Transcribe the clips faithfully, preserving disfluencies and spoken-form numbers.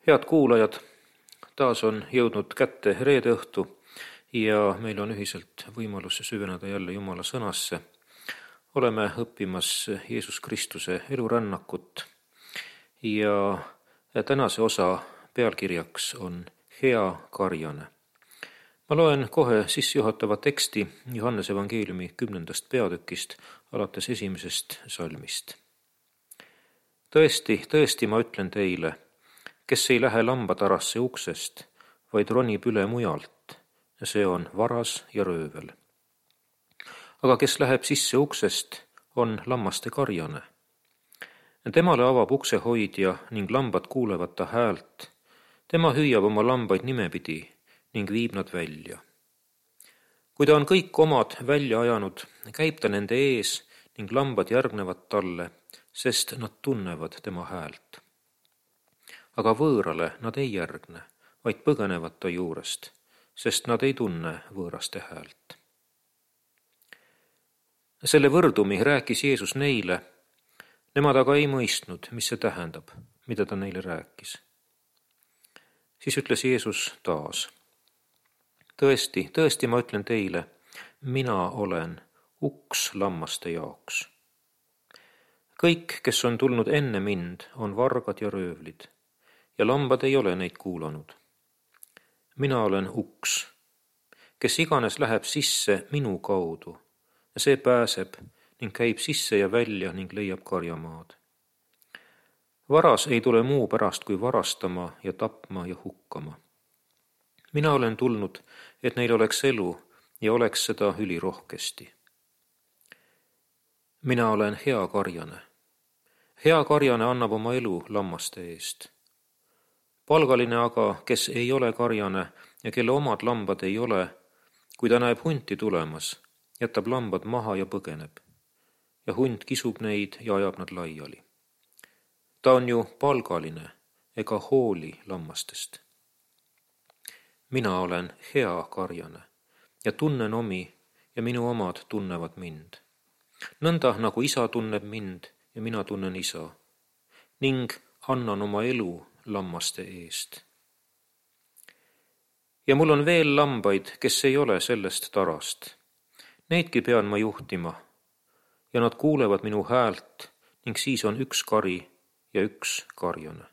Head kuulajad, taas on jõudnud kätte reede õhtu ja meil on ühiselt võimalus süveneda jälle Jumala sõnasse. Oleme õppimas Jeesus Kristuse elurännakut ja tänase osa pealkirjaks on Hea karjane. Ma loen kohe sissejuhatava teksti Johannese evangeeliumi kümnendast peatükist alates esimesest salmist. Tõesti, tõesti ma ütlen teile, kes ei lähe lambatarasse uksest, vaid ronib üle mujalt, see on varas ja röövel. Aga kes läheb sisse uksest, on lammaste karjane. Temale avab uksehoidja ning lambad kuulevad ta häält. Tema hüüab oma lambaid nimepidi ning viib nad välja. Kui ta on kõik omad välja ajanud, käib ta nende ees ning lambad järgnevad talle, sest nad tunnevad tema häält. Aga võõrale nad ei järgne, vaid põgenevad ta juurest, sest nad ei tunne võõraste häält. Selle võrdumi rääkis Jeesus neile, nemad aga ei mõistnud, mis see tähendab, mida ta neile rääkis. Siis ütles Jeesus taas, tõesti, tõesti ma ütlen teile, mina olen uks lammaste jaoks. Kõik, kes on tulnud enne mind, on vargad ja röövlid. Ja lambad ei ole neid kuulanud. Mina olen uks, kes iganes läheb sisse minu kaudu, ja see pääseb ning käib sisse ja välja ning leiab karjamaad. Varas ei tule muu pärast kui varastama ja tapma ja hukkama. Mina olen tulnud, et neil oleks elu ja oleks seda ülirohkesti. Mina olen hea karjane. Hea karjane annab oma elu lammaste eest. Palgaline aga, kes ei ole karjane ja kelle omad lambad ei ole, kui ta näeb hunti tulemas, jätab lambad maha ja põgeneb. Ja hunt kisub neid ja ajab nad laiali. Ta on ju palgaline ega hooli lammastest. Mina olen hea karjane ja tunnen omi ja minu omad tunnevad mind. Nõnda nagu isa tunneb mind ja mina tunnen isa ning annan oma elu lammaste eest. Ja mul on veel lambaid, kes ei ole sellest tarast. Neidki pean ma juhtima ja nad kuulevad minu häält ning siis on üks kari ja üks karjane.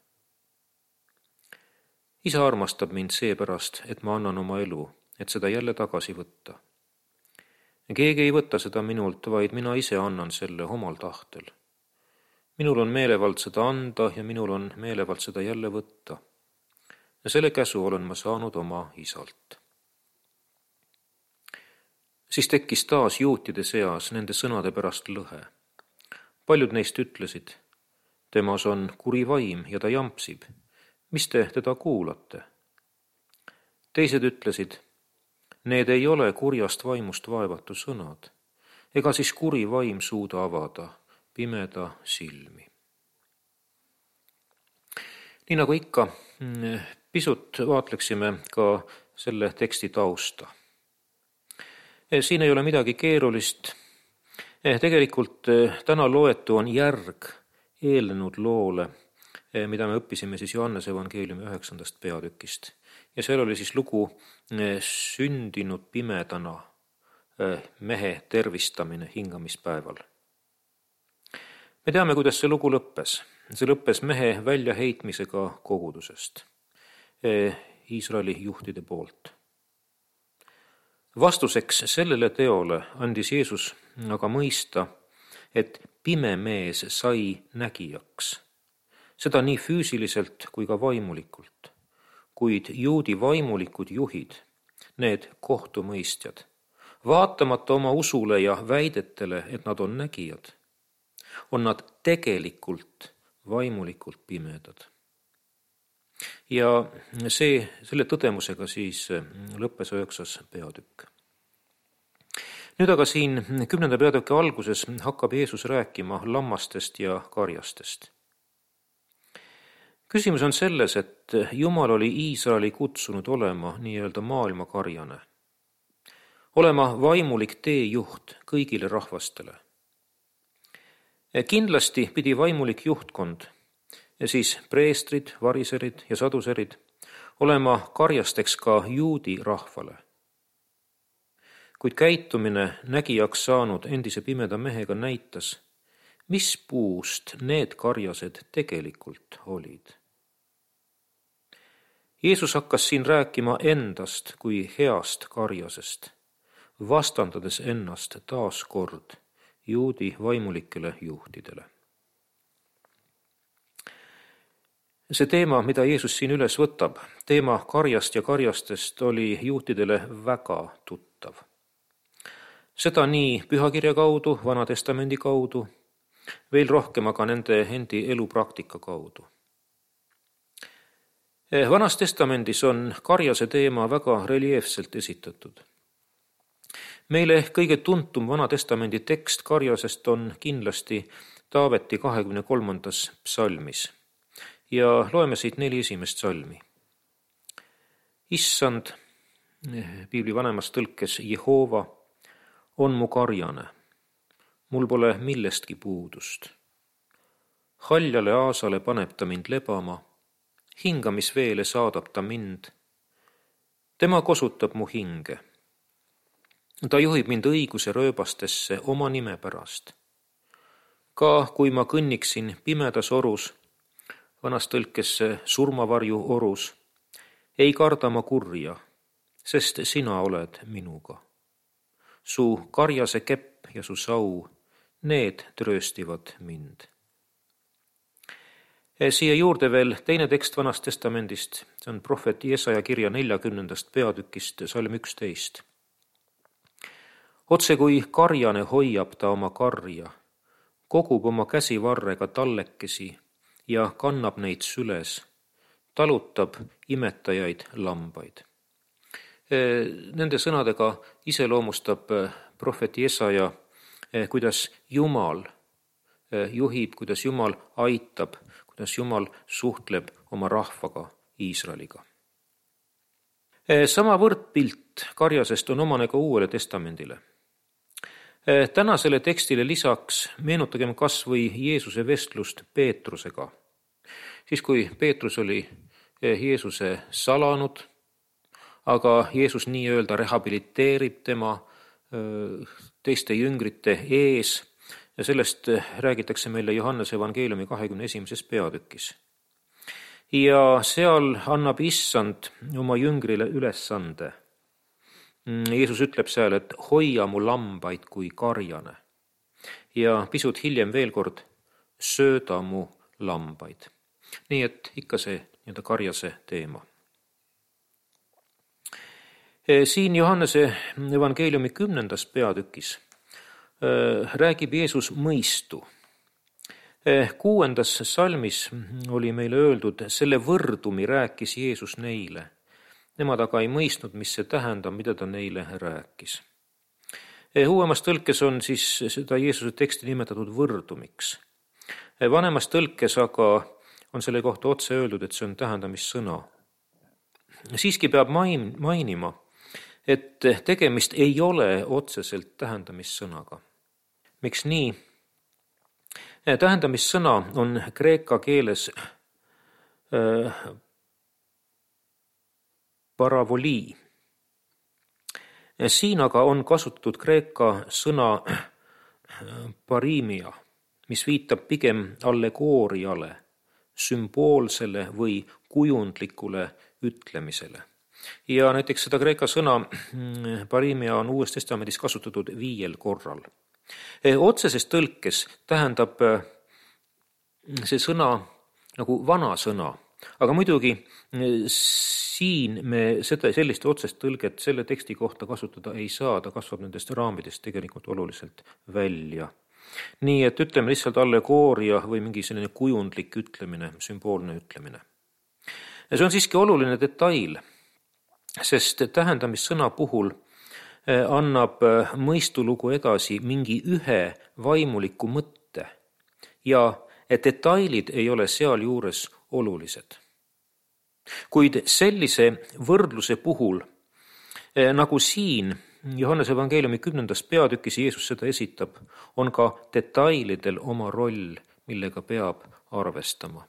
Isa armastab mind seepärast, et ma annan oma elu, et seda jälle tagasi võtta. Keegi ei võta seda minult, vaid mina ise annan selle omal tahtel. Minul on meelevald seda anda ja minul on meelevald seda jälle võtta. Ja selle käsu olen ma saanud oma isalt. Siis tekkis taas juutide seas nende sõnade pärast lõhe. Paljud neist ütlesid, temas on kuri vaim ja ta jampsib. Mis te teda kuulate? Teised ütlesid, need ei ole kurjast vaimust vaevatu sõnad, ega siis kuri vaim suuda avada pimeda silmi. Nii nagu ikka, pisut vaatleksime ka selle teksti tausta. Siin ei ole midagi keerulist. Tegelikult täna loetu on järg eelnenud loole, mida me õppisime siis Johannese evangeeliumi üheksandast peatükist. Ja seal oli siis lugu sündinud pimedana mehe tervistamine hingamispäeval. Me teame, kuidas see lugu lõppes. See lõppes mehe väljaheitmisega kogudusest Iisraeli juhtide poolt. Vastuseks sellele teole andis Jeesus aga mõista, et pime mees sai nägijaks. Seda nii füüsiliselt kui ka vaimulikult. Kuid juudi vaimulikud juhid, need kohtumõistjad, vaatamata oma usule ja väidetele, et nad on nägijad, on nad tegelikult vaimulikult pimedad. Ja see, selle tõdemusega siis lõppes üheksas peatükk. Nüüd aga siin kümnenda peatüki alguses hakkab Jeesus rääkima lammastest ja karjastest. Küsimus on selles, et Jumal oli Iisraeli kutsunud olema nii-öelda maailma karjane. Olema vaimulik teejuht kõigile rahvastele. Kindlasti pidi vaimulik juhtkond siis preestrid, variserid ja saduserid, olema karjasteks ka juudi rahvale. Kuid käitumine nägijaks saanud endise pimeda mehega näitas, mis puust need karjased tegelikult olid. Jeesus hakkas siin rääkima endast kui heast karjasest, vastandades ennast taas kord juudi vaimulikele juhtidele. See teema, mida Jeesus siin üles võtab, teema karjast ja karjastest, oli juutidele väga tuttav. Seda nii pühakirja kaudu, Vana Testamendi kaudu, veel rohkem aga nende endi elupraktika kaudu. Vanas Testamendis on karjase teema väga reljeefselt esitatud. Meile kõige tuntum Vana Testamendi tekst karjasest on kindlasti Taaveti kahekümne kolmandas psalmis ja loeme siit neli esimest psalmi. Issand, piibli vanemas tõlkes Jehova, on mu karjane, mul pole millestki puudust. Haljale aasale paneb ta mind lebama, hingamisveele saadab ta mind. Tema kosutab mu hinge. Ta juhib mind õiguse rööbastesse oma nime pärast. Ka kui ma kõnniksin pimedas orus, vanas tõlkes surmavarju orus, ei karda ma kurja, sest sina oled minuga. Su karjase kepp ja su sau, need trööstivad mind. Siia juurde veel teine tekst Vanast Testamendist, see on prohvet Jesaja kirja neljakümnendast peatükist, salm üksteist. Otse kui karjane hoiab ta oma karja, kogub oma käsivarrega tallekesi ja kannab neid süles, talutab imetajaid lambaid. Nende sõnadega iseloomustab prohvet Jesaja, kuidas Jumal juhib, kuidas Jumal aitab, kuidas Jumal suhtleb oma rahvaga, Iisraeliga. Sama võrdpilt karjasest on omane ka Uuele Testamendile. Tänasele tekstile lisaks meenutagem kas või Jeesuse vestlust Peetrusega. Siis kui Peetrus oli Jeesuse salanud, aga Jeesus nii-öelda rehabiliteerib tema teiste jüngrite ees ja sellest räägitakse meile Johannese evangeeliumi kahekümne esimeses peatükis. Ja seal annab Issand oma jüngrile ülesande. Jeesus ütleb seal, et hoia mu lambaid kui karjane ja pisut hiljem veel kord sööda mu lambaid. Nii et ikka see nii-öelda karjase teema. Siin Johannese evangeeliumi kümnendas peatükis räägib Jeesus mõistu. Kuuendas salmis oli meile öeldud, selle võrdumi rääkis Jeesus neile. Nemad aga ei mõistnud, mis see tähendab, mida ta neile rääkis. Uuemas tõlkes on siis seda Jeesuse teksti nimetatud võrdumiks. Vanemas tõlkes aga on selle kohta otse öeldud, et see on tähendamissõna. Siiski peab main, mainima, et tegemist ei ole otseselt tähendamissõnaga. Miks nii? Tähendamissõna on kreeka keeles äh, paravolii. Siin aga on kasutatud kreeka sõna parimia, mis viitab pigem allegooriale, sümboolsele või kujundlikule ütlemisele. Ja näiteks seda kreeka sõna parimia on Uues Testamendis kasutatud viiel korral. Otseses tõlkes tähendab see sõna nagu vana sõna, aga muidugi siin me seda, sellist otsest tõlget selle teksti kohta kasutada ei saa, ta kasvab nendest raamidest tegelikult oluliselt välja. Nii et ütleme lihtsalt allegooria või mingi selline kujundlik ütlemine, sümboolne ütlemine. Ja see on siiski oluline detail, sest tähendamissõna puhul annab mõistulugu edasi mingi ühe vaimuliku mõtte ja et detailid ei ole seal juures olulised. Kuid sellise võrdluse puhul, nagu siin Johannese evangeeliumi kümnendas peatükis Jeesus seda esitab, on ka detailidel oma roll, millega peab arvestama.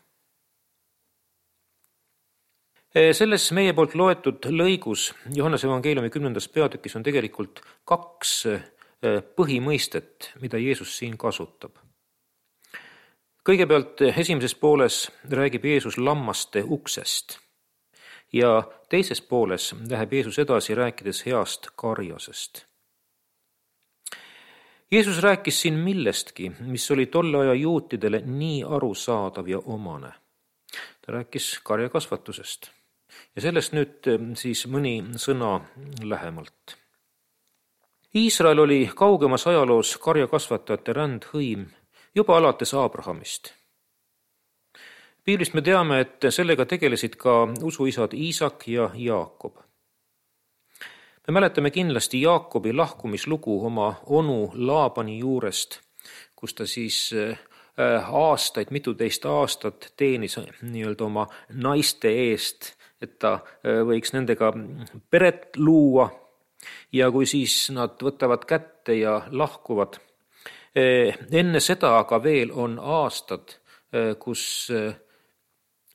Selles meie poolt loetud lõigus Johannese evangeeliumi kümnendas peatükis on tegelikult kaks põhimõistet, mida Jeesus siin kasutab. Kõigepealt esimeses pooles räägib Jeesus lammaste uksest ja teises pooles läheb Jeesus edasi rääkides heast karjasest. Jeesus rääkis siin millestki, mis oli tolle aja juutidele nii arusaadav ja omane. Ta rääkis karjakasvatusest. Ja sellest nüüd siis mõni sõna lähemalt. Iisrael oli kaugemas ajaloos karjakasvatajate rändhõim juba alates Abrahamist. Piiblist me teame, et sellega tegelesid ka usuisad Iisak ja Jaakob. Me mäletame kindlasti Jaakobi lahkumislugu oma onu Laabani juurest, kus ta siis aastaid, mituteist aastat teenis nii-öelda oma naiste eest, et ta võiks nendega peret luua ja kui siis nad võtavad kätte ja lahkuvad. Enne seda aga veel on aastad, kus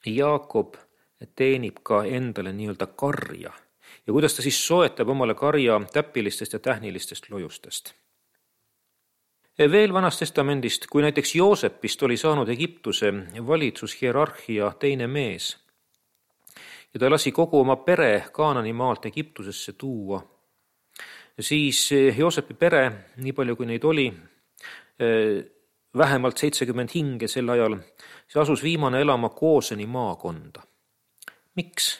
Jaakob teenib ka endale nii-öelda karja ja kuidas ta siis soetab omale karja täpilistest ja tähnilistest lojustest. Veel Vanast Testamendist, kui näiteks Joosepist oli saanud Egiptuse valitsushierarhia teine mees ja ta lasi kogu oma pere Kaanani maalt Egiptusesse tuua, siis Joosepi pere, nii palju kui neid oli, vähemalt seitsekümmend hinge sel ajal, see asus viimane elama Gooseni maakonda. Miks?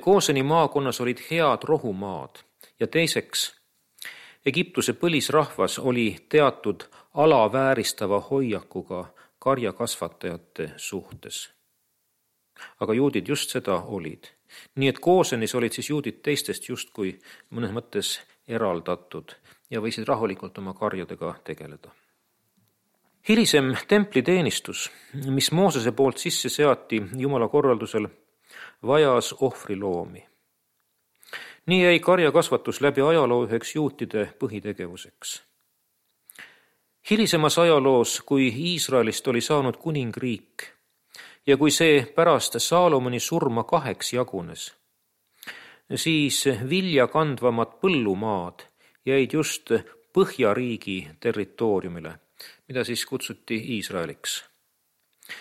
Gooseni maakonnas olid head rohumaad ja teiseks, Egiptuse põlisrahvas oli teatud alavääristava hoiakuga karjakasvatajate suhtes. Aga juudid just seda olid. Nii et Goosenis olid siis juudid teistest justkui mõnes mõttes eraldatud ja võisid rahulikult oma karjadega tegeleda. Hilisem templiteenistus, mis Moosese poolt sisse seati Jumala korraldusel, vajas ohvriloomi. Nii jäi karjakasvatus läbi ajaloo üheks juutide põhitegevuseks. Hilisemas ajaloos, kui Iisraelist oli saanud kuningriik ja kui see pärast Saalomoni surma kaheks jagunes, siis vilja kandvamad põllumaad jäid just Põhjariigi territooriumile, mida siis kutsuti Iisraeliks.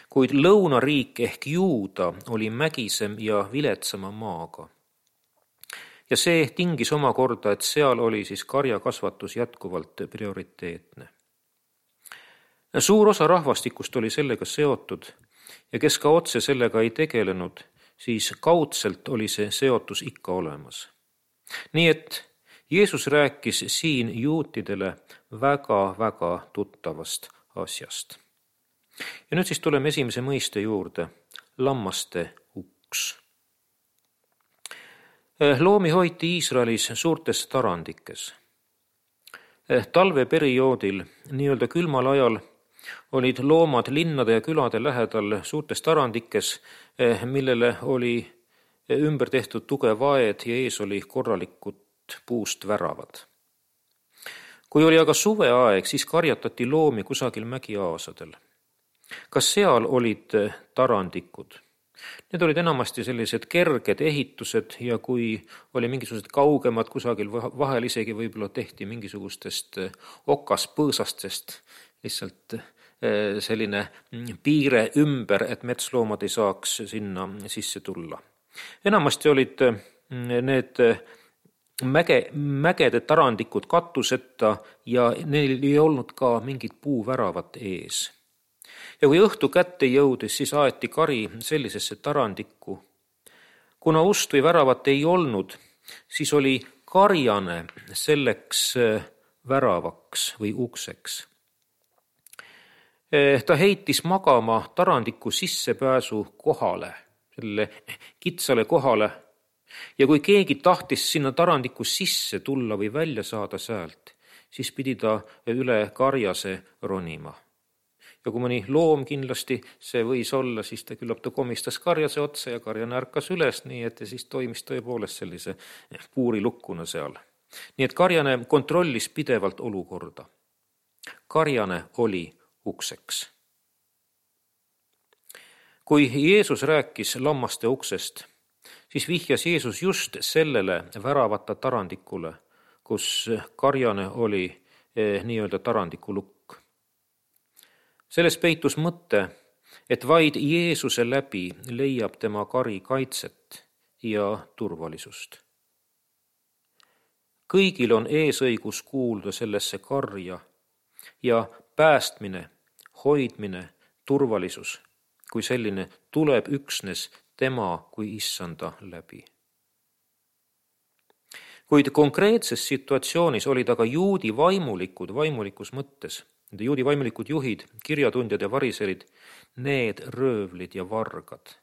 Kuid lõunariik ehk Juuda oli mägisem ja viletsama maaga. Ja see tingis omakorda, et seal oli siis karjakasvatus jätkuvalt prioriteetne. Suur osa rahvastikust oli sellega seotud ja kes ka otse sellega ei tegelenud, siis kaudselt oli see seotus ikka olemas. Nii et Jeesus rääkis siin juutidele väga-väga tuttavast asjast. Ja nüüd siis tuleme esimese mõiste juurde, lammaste uks. Loomi hoiti Iisraelis suurtes tarandikes. Talveperioodil, nii-öelda külmal ajal, olid loomad linnade ja külade lähedal suurtes tarandikes, millele oli ümber tehtud tugev aed ja ees oli korralikud puust väravad. Kui oli aga suveaeg, siis karjatati loomi kusagil mägiaasadel. Kas seal olid tarandikud? Need olid enamasti sellised kerged ehitused ja kui oli mingisugused kaugemad kusagil vahel isegi võib-olla tehti mingisugustest okaspõõsastest lihtsalt selline piire ümber, et metsloomad ei saaks sinna sisse tulla. Enamasti olid need mäge, mägede tarandikud katuseta ja neil ei olnud ka mingit puuväravat ees. Ja kui õhtu kätte jõudis, siis aeti kari sellisesse tarandikku. Kuna ust või väravat ei olnud, siis oli karjane selleks väravaks või ukseks. Ta heitis magama tarandiku sissepääsu kohale, selle kitsale kohale, ja kui keegi tahtis sinna tarandiku sisse tulla või välja saada sealt, siis pidi ta üle karjase ronima. Ja kui mõni loom kindlasti see võis olla, siis ta küllap ta komistas karjase otsa ja karjane ärkas üles, nii et siis toimis tõepoolest sellise puurilukkuna seal. Nii et karjane kontrollis pidevalt olukorda. Karjane oli ukseks. Kui Jeesus rääkis lammaste uksest, siis vihjas Jeesus just sellele väravata tarandikule, kus karjane oli eh, nii-öelda tarandiku lukk. Selles peitus mõte, et vaid Jeesuse läbi leiab tema kari kaitset ja turvalisust. Kõigil on eesõigus kuulda sellesse karja ja päästmine, hoidmine, turvalisus kui selline tuleb üksnes tema kui issanda läbi. Kuid konkreetses situatsioonis olid aga juudi vaimulikud vaimulikus mõttes, nende juudi vaimulikud juhid, kirjatundjad ja variserid, need röövlid ja vargad,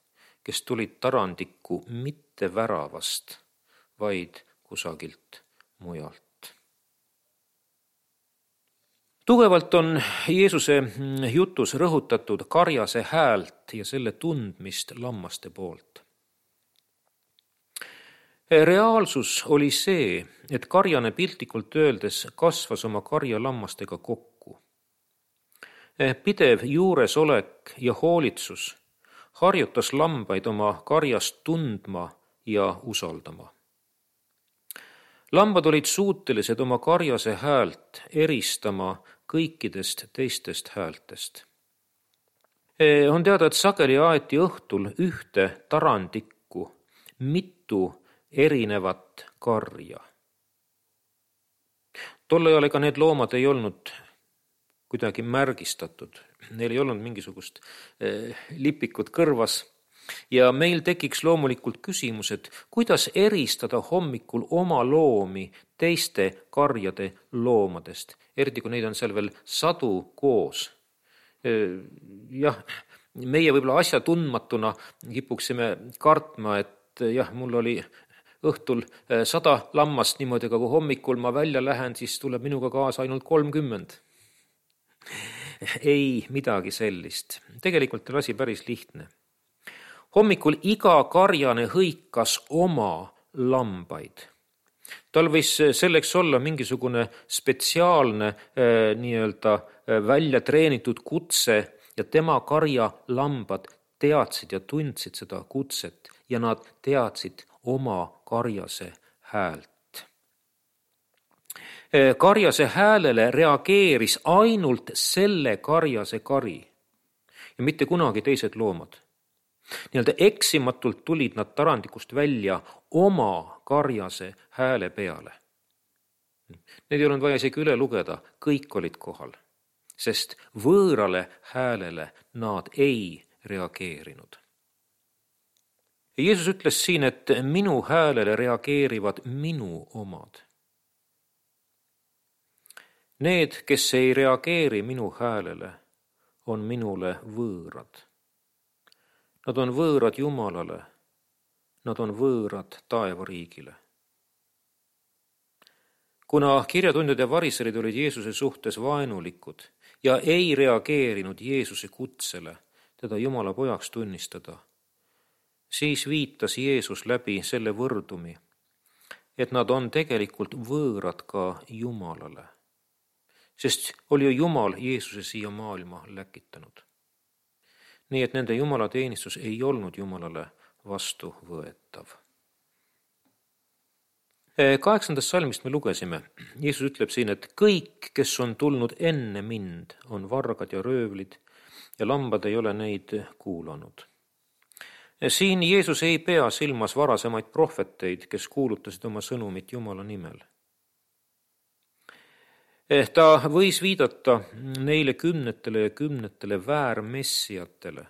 kes tulid tarandikku mitte väravast, vaid kusagilt mujalt. Tugevalt on Jeesuse jutus rõhutatud karjase häält ja selle tundmist lammaste poolt. Reaalsus oli see, et karjane piltlikult öeldes kasvas oma karja lammastega kokku. Pidev juuresolek ja hoolitsus harjutas lambaid oma karjast tundma ja usaldama. Lambad olid suutelised oma karjase häält eristama kõikidest teistest häältest. On teada, et sageli aeti õhtul ühte tarandikku mitu erinevat karja. Tolle ajal ega need loomad ei olnud kuidagi märgistatud. Neil ei olnud mingisugust lipikut kõrvas. Ja meil tekiks loomulikult küsimus, et kuidas eristada hommikul oma loomi teiste karjade loomadest, eriti kui neid on seal veel sadu koos. Jah, meie võib-olla asja tundmatuna kipuksime kartma, et jah, mul oli õhtul sada lammast niimoodi, aga kui hommikul ma välja lähen, siis tuleb minuga kaasa ainult kolmkümmend. Ei midagi sellist. Tegelikult on asi päris lihtne. Hommikul iga karjane hõikas oma lambaid. Tal võis selleks olla mingisugune spetsiaalne äh, nii-öelda äh, välja treenitud kutse ja tema karja lambad teadsid ja tundsid seda kutset ja nad teadsid oma karjase häält. Äh, karjase häälele reageeris ainult selle karjase kari ja mitte kunagi teised loomad. Nii-öelda eksimatult tulid nad tarandikust välja oma karjase hääle peale. Need ei olnud vaja isegi üle lugeda, kõik olid kohal, sest võõrale häälele nad ei reageerinud. Jeesus ütles siin, et minu häälele reageerivad minu omad. Need, kes ei reageeri minu häälele, on minule võõrad. Nad on võõrad Jumalale, nad on võõrad taevariigile. Kuna kirjatundjad ja variserid olid Jeesuse suhtes vaenulikud ja ei reageerinud Jeesuse kutsele teda Jumala pojaks tunnistada, siis viitas Jeesus läbi selle võrdumi, et nad on tegelikult võõrad ka Jumalale, sest oli ju Jumal Jeesuse siia maailma läkitanud. Nii et nende jumalateenistus ei olnud Jumalale vastuvõetav. Kaheksandast salmist me lugesime. Jeesus ütleb siin, et kõik, kes on tulnud enne mind, on vargad ja röövlid ja lambad ei ole neid kuulanud. Siin Jeesus ei pea silmas varasemaid prohveteid, kes kuulutasid oma sõnumit Jumala nimel. Ta võis viidata neile kümnetele ja kümnetele väärmessiatele,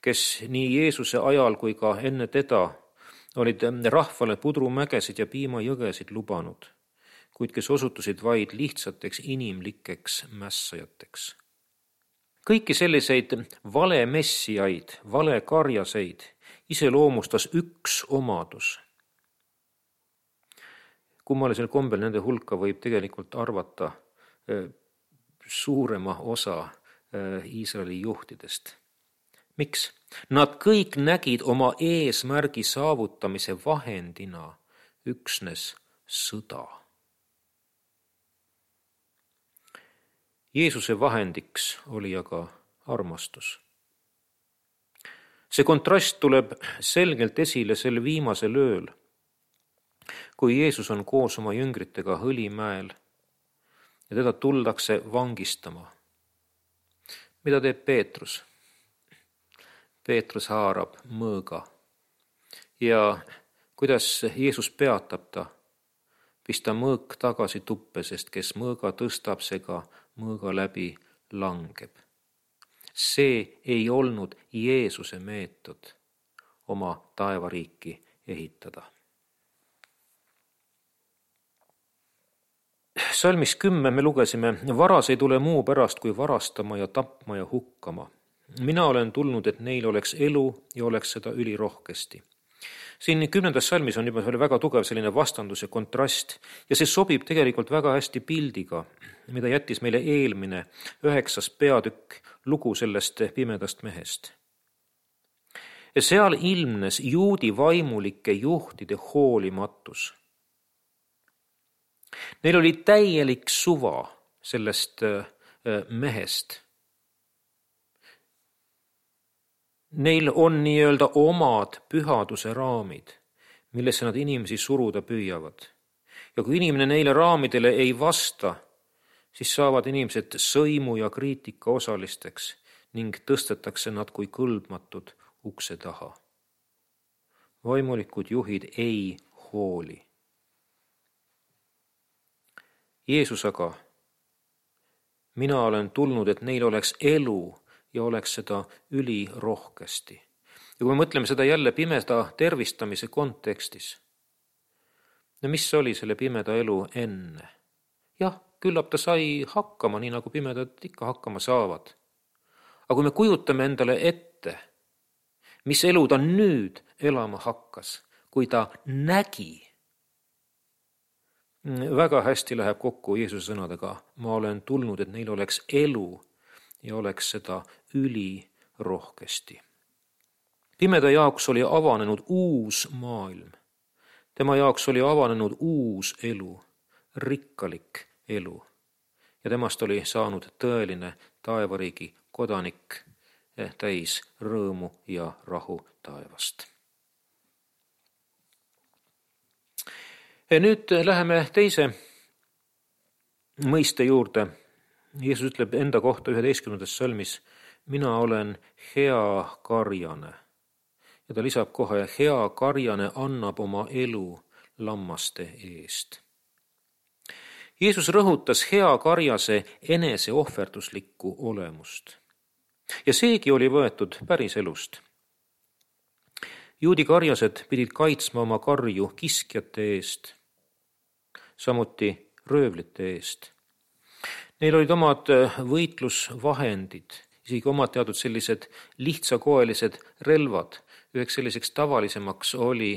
kes nii Jeesuse ajal kui ka enne teda olid rahvale pudrumägesid ja piimajõgesid lubanud, kuid kes osutusid vaid lihtsateks inimlikeks mässajateks. Kõiki selliseid vale messiaid, vale karjaseid iseloomustas üks omadus. Kummalisel kombel nende hulka võib tegelikult arvata suurema osa Iisraeli juhtidest. Miks? Nad kõik nägid oma eesmärgi saavutamise vahendina üksnes sõda. Jeesuse vahendiks oli aga armastus. See kontrast tuleb selgelt esile sel viimasel ööl, kui Jeesus on koos oma jüngritega Õlimäel ja teda tuldakse vangistama. Mida teeb Peetrus? Peetrus haarab mõõga ja kuidas Jeesus peatab ta? Pista mõõk tagasi tuppe, sest kes mõõga tõstab, see ka mõõga läbi langeb. See ei olnud Jeesuse meetod oma taevariiki ehitada. Salmis kümme me lugesime, varas ei tule muu pärast kui varastama ja tapma ja hukkama. Mina olen tulnud, et neil oleks elu ja oleks seda ülirohkesti. Siin kümnendas salmis on juba väga tugev selline vastandus ja kontrast ja see sobib tegelikult väga hästi pildiga, mida jättis meile eelmine üheksas peatükk lugu sellest pimedast mehest. Ja seal ilmnes juudi vaimulike juhtide hoolimatus. Neil oli täielik suva sellest mehest. Neil on nii-öelda omad pühaduse raamid, millesse nad inimesi suruda püüavad. Ja kui inimene neile raamidele ei vasta, siis saavad inimesed sõimu ja kriitika osalisteks ning tõstetakse nad kui kõlbmatud ukse taha. Vaimulikud juhid ei hooli. Jeesus aga, mina olen tulnud, et neil oleks elu ja oleks seda ülirohkesti. Ja kui me mõtleme seda jälle pimeda tervistamise kontekstis, no mis oli selle pimeda elu enne? Jah, küllap ta sai hakkama, nii nagu pimedad ikka hakkama saavad. Aga kui me kujutame endale ette, mis elu ta nüüd elama hakkas, kui ta nägi, väga hästi läheb kokku Jeesuse sõnadega, ma olen tulnud, et neil oleks elu ja oleks seda ülirohkesti. Pimeda jaoks oli avanenud uus maailm. Tema jaoks oli avanenud uus elu, rikkalik elu. Ja temast oli saanud tõeline taevariigi kodanik, täis rõõmu ja rahu taevast. Ja nüüd läheme teise mõiste juurde. Jeesus ütleb enda kohta üheteistkümnendas salmis, mina olen hea karjane. Ja ta lisab kohe, hea karjane annab oma elu lammaste eest. Jeesus rõhutas hea karjase enese ohverduslikku olemust. Ja seegi oli võetud päris elust. Juudi karjased pidid kaitsma oma karju kiskjate eest, samuti röövlite eest. Neil olid omad võitlusvahendid, isegi omad teadud sellised lihtsakoelised relvad. Üheks selliseks tavalisemaks oli,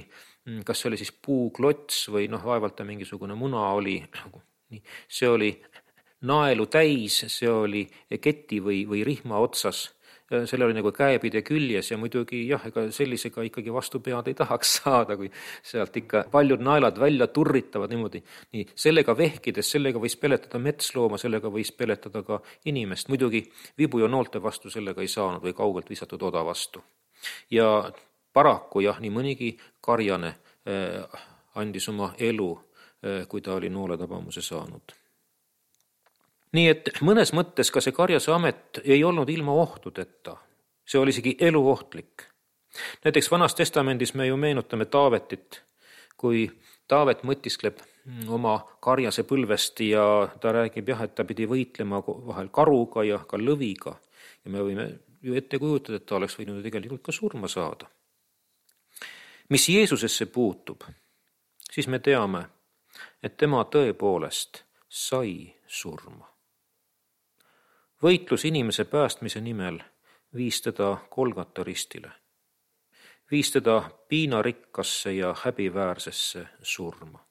kas see oli siis puuklots või noh, vaevalt mingisugune muna oli. See oli naelu täis, see oli keti või, või rihma otsas. Selle oli nagu käepide küljes ja muidugi jah, ega sellisega ikkagi vastu pead ei tahaks saada, kui sealt ikka paljud naelad välja turritavad niimoodi. Nii, sellega vehkides, sellega võis peletada metslooma, sellega võis peletada ka inimest. Muidugi vibu ja noolte vastu sellega ei saanud või kaugelt visatud oda vastu. Ja paraku jah, nii mõnigi karjane eh, andis oma elu, eh, kui ta oli nooletabamuse saanud. Nii et mõnes mõttes ka see karjase amet ei olnud ilma ohtudeta. See oli isegi eluohtlik. Näiteks Vanas Testamendis me ju meenutame Taavetit, kui Taavet mõtiskleb oma karjase põlvest ja ta räägib jah, et ta pidi võitlema vahel karuga ja ka lõviga. Ja me võime ju ette kujutada, et ta oleks võinud tegelikult ka surma saada. Mis Jeesusesse puutub, siis me teame, et tema tõepoolest sai surma. Võitlus inimese päästmise nimel viis teda Golgata ristile. Viis teda piinarikkasse ja häbiväärsesse surma.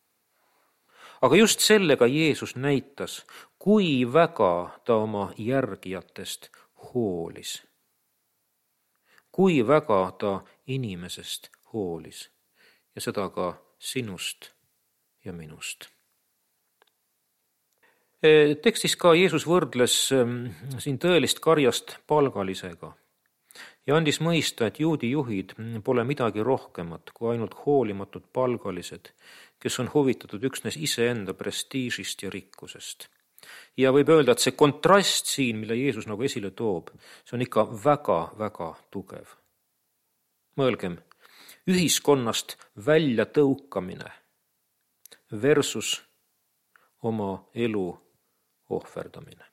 Aga just sellega Jeesus näitas, kui väga ta oma järgijatest hoolis. Kui väga ta inimesest hoolis. Ja seda ka sinust ja minust. Tekstis ka Jeesus võrdles siin tõelist karjast palgalisega ja andis mõista, et juudi juhid pole midagi rohkemat kui ainult hoolimatud palgalised, kes on huvitatud üksnes iseenda prestiižist ja rikkusest. Ja võib öelda, et see kontrast siin, mille Jeesus nagu esile toob, see on ikka väga-väga tugev. Mõelgem, ühiskonnast välja tõukamine versus oma elu ohverdamine.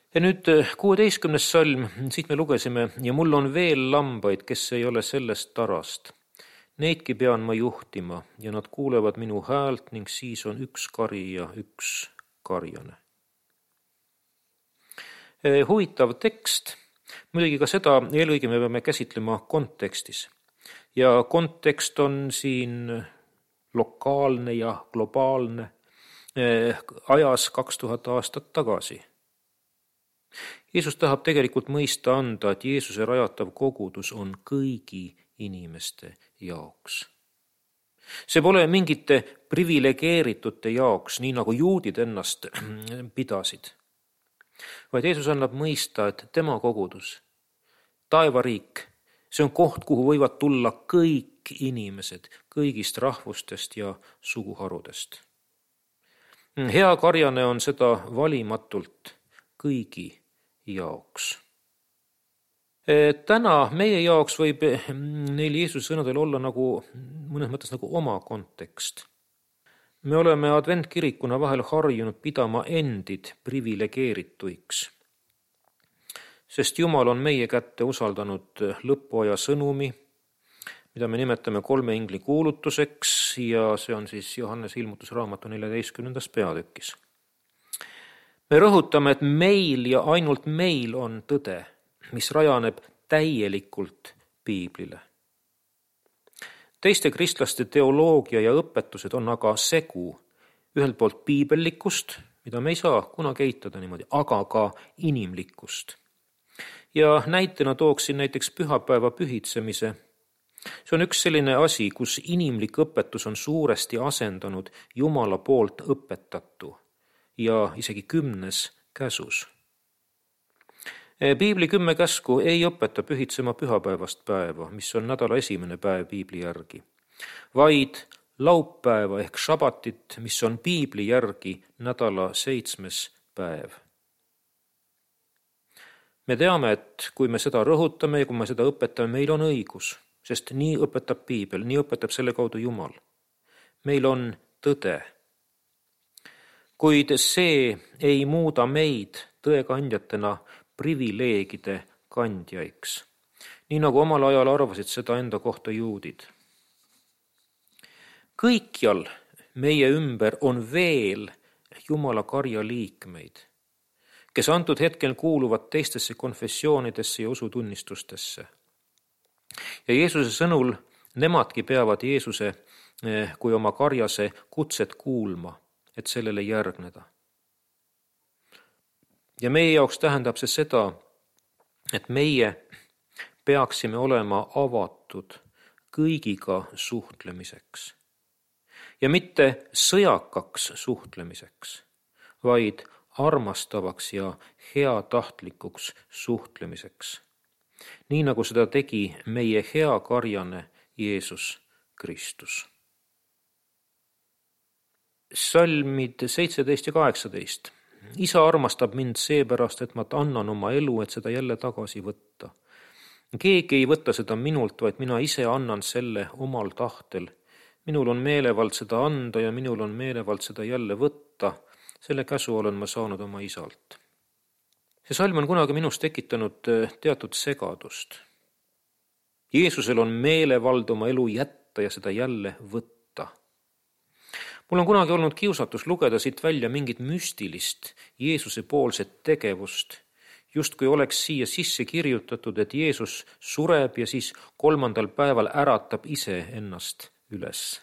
Ja nüüd kuueteistkümnes salm, siit me lugesime, ja mul on veel lambaid, kes ei ole sellest tarast. Neidki pean ma juhtima ja nad kuulevad minu häält ning siis on üks kari ja üks karjane. Huvitav tekst, muidugi ka seda eelõige me peame käsitlema kontekstis. Ja kontekst on siin lokaalne ja globaalne ajas kaks tuhat aastat tagasi. Jeesus tahab tegelikult mõista anda, et Jeesuse rajatav kogudus on kõigi inimeste jaoks. See pole mingite privilegeeritute jaoks, nii nagu juudid ennast pidasid, vaid Jeesus annab mõista, et tema kogudus, taevariik, see on koht, kuhu võivad tulla kõik inimesed kõigist rahvustest ja suguharudest. Hea karjane on seda valimatult kõigi jaoks. Täna meie jaoks võib neil Jeesuse sõnadel olla nagu, mõnes mõttes nagu oma kontekst. Me oleme adventkirikuna vahel harjunud pidama endid privilegeerituiks, sest Jumal on meie kätte usaldanud lõpuaja sõnumi, mida me nimetame kolme ingli kuulutuseks ja see on siis Johannese ilmutusraamatu neljateistkümnendas peatükis. Me rõhutame, et meil ja ainult meil on tõde, mis rajaneb täielikult piiblile. Teiste kristlaste teoloogia ja õpetused on aga segu ühelt poolt piibellikust, mida me ei saa kunagi eitada niimoodi, aga ka inimlikkust. Ja näitena tooksin näiteks pühapäeva pühitsemise. See on üks selline asi, kus inimlik õpetus on suuresti asendanud Jumala poolt õpetatu ja isegi kümnes käsus. Piibli kümme käsku ei õpeta pühitsema pühapäevast päeva, mis on nädala esimene päev piibli järgi, vaid laupäeva ehk šabatit, mis on piibli järgi nädala seitsmes päev. Me teame, et kui me seda rõhutame ja kui me seda õpetame, meil on õigus, sest nii õpetab piibel, nii õpetab selle kaudu Jumal. Meil on tõde. Kuid see ei muuda meid tõekandjatena privileegide kandjaiks, nii nagu omal ajal arvasid seda enda kohta juudid. Kõikjal meie ümber on veel Jumala karja liikmeid, kes antud hetkel kuuluvad teistesse konfessioonidesse ja usutunnistustesse. Ja Jeesuse sõnul nemadki peavad Jeesuse kui oma karjase kutset kuulma, et sellele järgneda. Ja meie jaoks tähendab see seda, et meie peaksime olema avatud kõigiga suhtlemiseks. Ja mitte sõjakaks suhtlemiseks, vaid armastavaks ja heatahtlikuks suhtlemiseks. Nii nagu seda tegi meie hea karjane Jeesus Kristus. Salmid seitseteist ja kaheksateist. Isa armastab mind seepärast, et ma annan oma elu, et seda jälle tagasi võtta. Keegi ei võta seda minult, vaid mina ise annan selle omal tahtel. Minul on meelevald seda anda ja minul on meelevald seda jälle võtta. Selle käsu olen ma saanud oma isalt. See salm on kunagi minus tekitanud teatud segadust. Jeesusel on meelevald oma elu jätta ja seda jälle võtta. Mul on kunagi olnud kiusatus lugeda siit välja mingit müstilist Jeesuse poolset tegevust, just kui oleks siia sisse kirjutatud, et Jeesus sureb ja siis kolmandal päeval äratab ise ennast üles.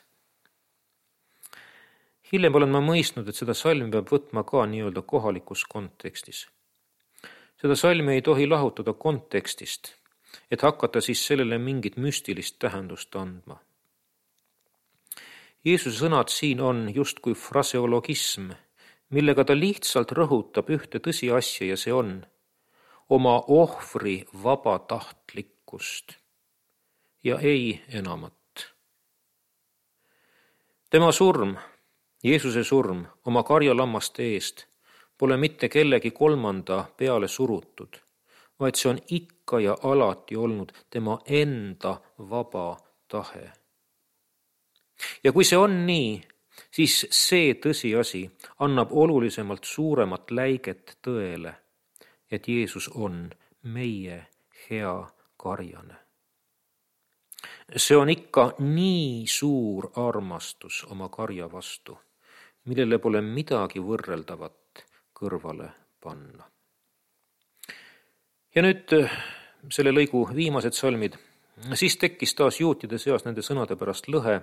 Hiljem olen ma mõistnud, et seda salmi peab võtma ka nii-öelda kohalikus kontekstis. Seda salmi ei tohi lahutada kontekstist, et hakata siis sellele mingit müstilist tähendust andma. Jeesuse sõnad siin on justkui fraseologism, millega ta lihtsalt rõhutab ühte tõsiasja ja see on oma ohvri vabatahtlikkust ja ei enamat. Tema surm, Jeesuse surm oma karjalammaste eest pole mitte kellegi kolmanda peale surutud, vaid see on ikka ja alati olnud tema enda vaba tahe. Ja kui see on nii, siis see tõsiasi annab olulisemalt suuremat läiget tõele, et Jeesus on meie hea karjane. See on ikka nii suur armastus oma karja vastu, millele pole midagi võrreldavat kõrvale panna. Ja nüüd selle lõigu viimased salmid. Siis tekkis taas juutide seas nende sõnade pärast lõhe.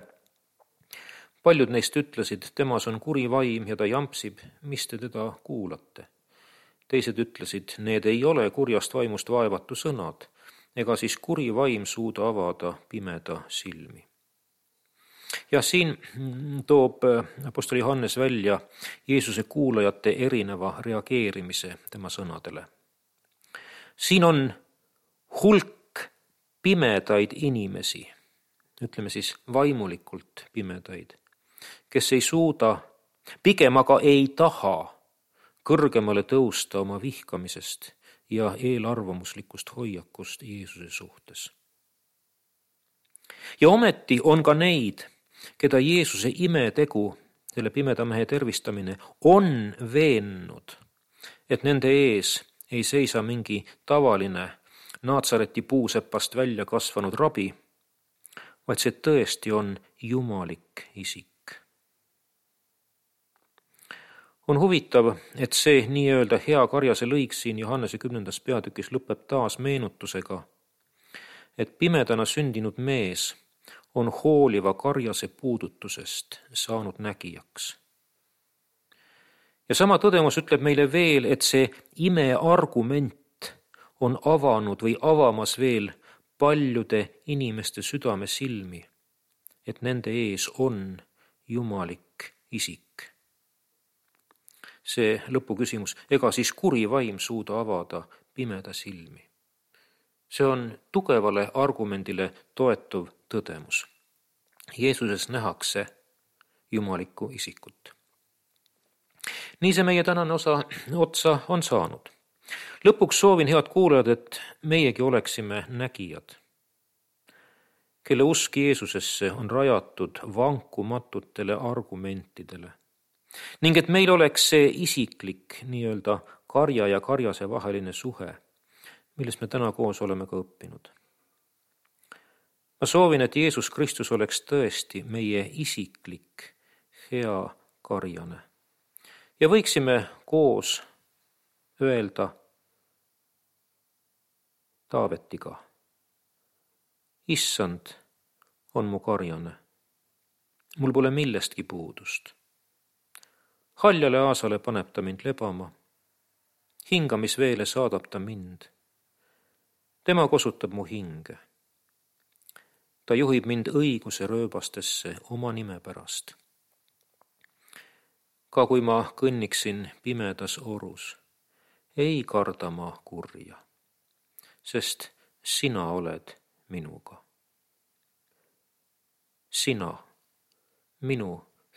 Paljud neist ütlesid, temas on kuri vaim ja ta jampsib, mis te teda kuulate. Teised ütlesid, need ei ole kurjast vaimust vaevatu sõnad, ega siis kuri vaim suuda avada pimeda silmi. Ja siin toob apostol Johannes välja Jeesuse kuulajate erineva reageerimise tema sõnadele. Siin on hulk pimedaid inimesi, ütleme siis vaimulikult pimedaid, kes ei suuda, pigem aga ei taha kõrgemale tõusta oma vihkamisest ja eelarvamuslikust hoiakust Jeesuse suhtes. Ja ometi on ka neid, keda Jeesuse imetegu, selle pimeda mehe tervistamine, on veennud, et nende ees ei seisa mingi tavaline Naatsareti puusepast välja kasvanud rabi, vaid see tõesti on jumalik isik. On huvitav, et see nii-öelda hea karjase lõik siin Johannese kümnendas peatükis lõpeb taas meenutusega, et pimedana sündinud mees on hooliva karjase puudutusest saanud nägijaks. Ja sama tõdemus ütleb meile veel, et see imeargument on avanud või avamas veel paljude inimeste südame silmi, et nende ees on jumalik isik. See lõpuküsimus, ega siis kuri vaim suuda avada pimeda silmi. See on tugevale argumendile toetuv tõdemus. Jeesuses nähakse jumalikku isikut. Nii see meie tänane osa otsa on saanud. Lõpuks soovin, head kuulajad, et meiegi oleksime nägijad, kelle usk Jeesusesse on rajatud vankumatutele argumentidele ning et meil oleks see isiklik nii-öelda karja ja karjase vaheline suhe, millest me täna koos oleme ka õppinud. Ma soovin, et Jeesus Kristus oleks tõesti meie isiklik hea karjane ja võiksime koos öelda Taavetiga, issand on mu karjane, mul pole millestki puudust. Haljale aasale paneb ta mind lebama, hingamisveele saadab ta mind. Tema kosutab mu hinge. Ta juhib mind õiguse rööbastesse oma nime pärast. Ka kui ma kõnniksin pimedas orus, ei karda ma kurja, sest sina oled minuga. Sina, minu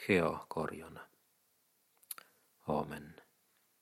hea karjane. Aamen.